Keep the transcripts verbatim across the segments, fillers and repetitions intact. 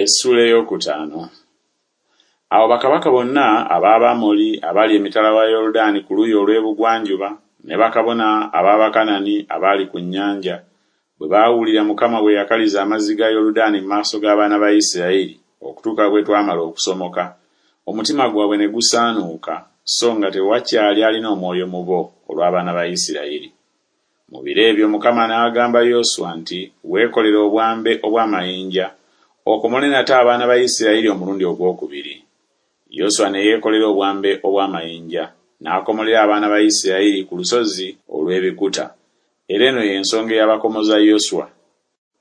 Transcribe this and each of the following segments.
Essuula ey'okutaano. Awo bakabaka bonna ab'Abamoli abaali emitala wa Yoludaani ku luuyi olw'ebugwanjuba, ne bakabona ab'Abakanani abaali ku nnyanja, bwe baawulira Mukama bwe yakaliza amazzi ga Yoludaani mu maaso g'abaana ba Isirayiri okutuuka bwe twamala okusomoka, omutima gwabwe ne gusaanuuka, so nga tewakyali alina omwoyo mu bo olw'abaana ba Isirayiri. Mu biro ebyo Mukama n'agamba Yoswa nti, Weekolere obwambe obw'amayinja, okomole nate abaana ba Isirayiri omulundi ogwokubiri. Yoswa ne yeekolera obwambe obw'amayinja, n'akomolera abaana ba Isirayiri ku lusozi olw'ebikuta. Era eno y'ensonga eyabakomoza Yoswa.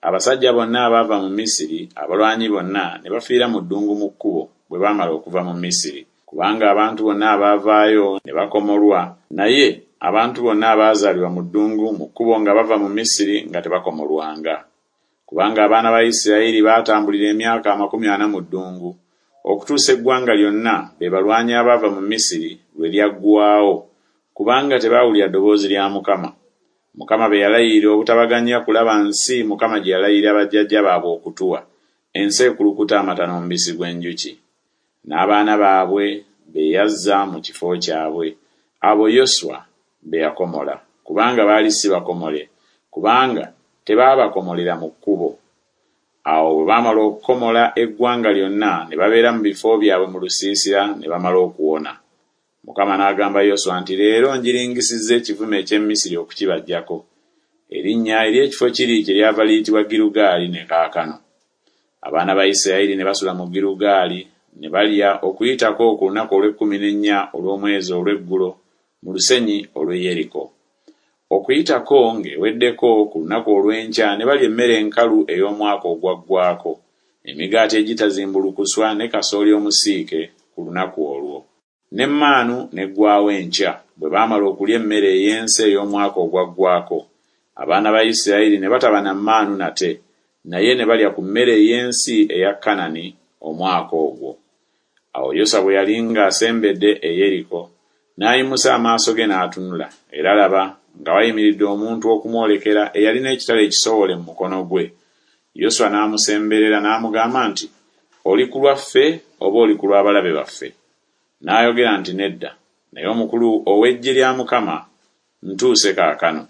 Abasajja bonna abaava mu Misiri, abalwanyi bonna, ne bafiira mu ddungu mu kkubo, bwe baamala okuva mu Misiri. Kubanga abantu bonna abaavaayo ne bakomolwa, naye abantu bonna abaazaalibwa mu ddungu mu kkubo nga bava mu Misiri nga tebakomolwanga. Kubanga abaana ba Isirayiri baatambulira emyaka amakumi ana mu ddungu, okutuusa eggwanga lyonna, be balwanyi abaava mu Misiri, lwe lyaggwaawo, kubanga tebaawulira ddoboozi lya Mukama. Mukama be yalayirira obutabaganya kulaba nsi Mukama gye yalayirira bajjajja baabwe okutuwa, ensi ekulukuta amata n'omubisi gw'enjuki. N'abaana baabwe be yazza mu kifo kyabwe, abo Yoswa be yakomola, kubanga baali si bakomole, kubanga tebaabakomolera mu kkubo. Awo bwe baamala okukomola eggwanga lyonna, ne babeera mu bifo byabwe mu lusiisira ne bamala okuwona. Mukama n'agamba Yoswa nti, Leero njiringisizza ekivume eky'e Misiri okukibaggyako. Erinnya ery'ekifo kiri kyeryava liyitibwa Girugaali ne kaakano. Abaana ba Isirayiri ne basula mu Girugaali, ne balya Okuyitako ku lunaku olw'ekkumi n'ennya olw'omwezi olw'eggulo mu lusenyi olw'e Yeriko. Okuyitako ng'eweddeko ku lunaku olw'enkya ne balya emmere enkalu ey'omwaka ogwaggwaako, emigaati egitazimbulukuswa ne kasooli omusiike ku lunaku olwo. N'emmaanu n'eggwaawo enkya, bwe baamala okulya emmere ey'ensi ey'omwaka ogwaggwaako. Abaana ba Isirayiri ne bataba na mmaanu nate, naye ne balya ku mmere ey'ensi eya Kanani omwaka ogwo. Awo Yoswa bwe yali ng'asembedde e Yeriko, n'ayimusa amaaso ge n'atunula, era laba, nga wayimiridde omuntu okumwolekera eyalina ekitala ekisowole mu mukono gwe. Yoswa n'amusemberera n'amugamba nti, Oli ku lwaffe oba oli ku lw'abalabe baffe? N'ayogera nti, Nedda, naye omukulu ow'eggye lya Mukama ntuuse kaakano.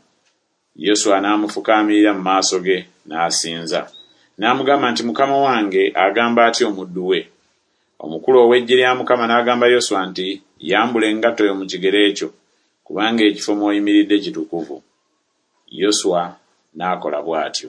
Yoswa n'amufukaamirira mu maaso ge n'asinza. N'amugamba nti, Mukama wange agamba atya omuddu we? Omukulu ow'eggye lya Mukama n'agamba Yoswa nti, Yambula engatto yo mu kigere kyo, kubanga ekifo mw'oyimiridde kitukuvu. Yoswa n'akola bw'atyo.